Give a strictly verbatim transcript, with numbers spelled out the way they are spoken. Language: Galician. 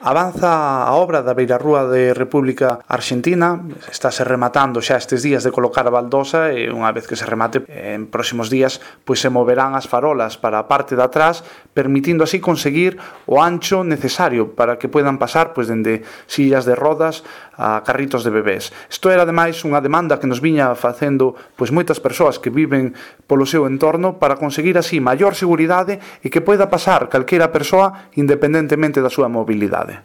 Avanza a obra da beirarrúa de República Argentina, estáse rematando xa estes días de colocar a baldosa e unha vez que se remate en próximos días pois se moverán as farolas para a parte de atrás, permitindo así conseguir o ancho necesario para que poidan pasar pois dende sillas de rodas a carritos de bebés. Isto era ademais unha demanda que nos viña facendo pois moitas persoas que viven polo seu entorno para conseguir así maior seguridade e que poida pasar calquera persoa independentemente da súa mobilidade.